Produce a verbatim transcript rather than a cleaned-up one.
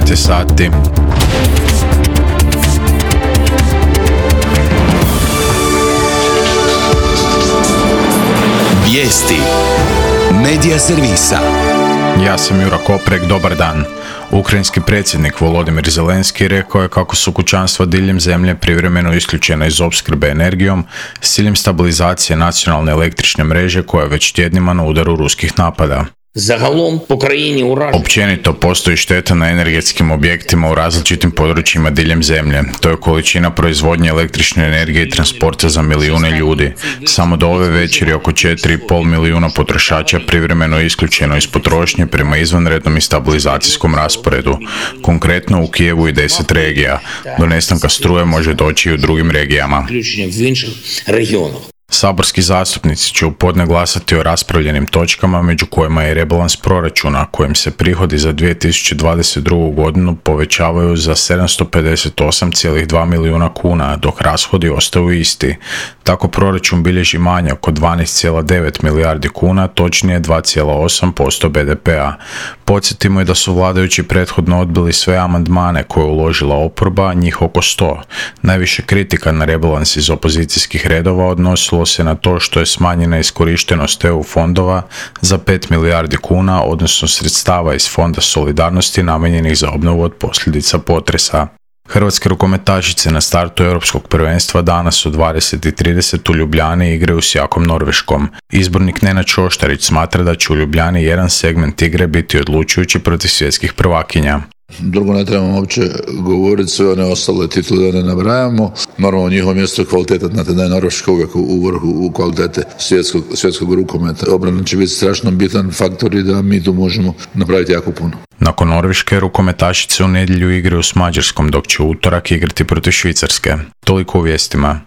devet je sati. Vijesti Medija servisa. Ja sam Jura Koprek, dobar dan. Ukrajinski predsjednik Volodimir Zelenski rekao je kako su kućanstva diljem zemlje privremeno isključena iz opskrbe energijom s ciljem stabilizacije nacionalne električne mreže koja je već tjednima na udaru ruskih napada. Zagalom po krajini uražen. Općenito postoji šteta na energetskim objektima u različitim područjima diljem zemlje. To je količina proizvodnje električne energije i transporta za milijune ljudi. Samo do ove večeri oko četiri i pol milijuna potrošača privremeno je isključeno iz potrošnje prema izvanrednom i stabilizacijskom rasporedu. Konkretno u Kijevu i deset regija. Do nestanka struje može doći i u drugim regijama. Saborski zastupnici će u podne glasati o raspravljenim točkama, među kojima je rebalans proračuna, kojim se prihodi za dvije tisuće dvadeset drugu. godinu povećavaju za sedamsto pedeset osam zarez dva milijuna kuna, dok rashodi ostaju isti. Tako proračun bilježi manjak od dvanaest zarez devet milijardi kuna, točnije dva zarez osam posto be de pea. Podsjetimo je da su vladajući prethodno odbili sve amandmane koje je uložila oporba, njih oko sto. Najviše kritika na rebalans iz opozicijskih redova odnosilo se na to što je smanjena iskorištenost E U fondova za pet milijardi kuna, odnosno sredstava iz Fonda solidarnosti namijenjenih za obnovu od posljedica potresa. Hrvatske rukometašice na startu europskog prvenstva danas u dvadeset i trideset u Ljubljani igraju s jakom Norveškom. Izbornik Nenad Šoštarić smatra da će u Ljubljani jedan segment igre biti odlučujući protiv svjetskih prvakinja. Drugo, ne trebamo uopće govoriti, sve one ostale titule da ne nabrajamo. Normalno, njihovo mjesto je kvaliteta, znate da je Norveška uvijek u vrhu u kvalitete svjetskog, svjetskog rukometa. Obrana će biti strašno bitan faktor i da mi tu možemo napraviti jako puno. Nakon Norveške, rukometašice u nedjelju igraju s Mađarskom, dok će u utorak igrati protiv Švicarske. Toliko u vijestima.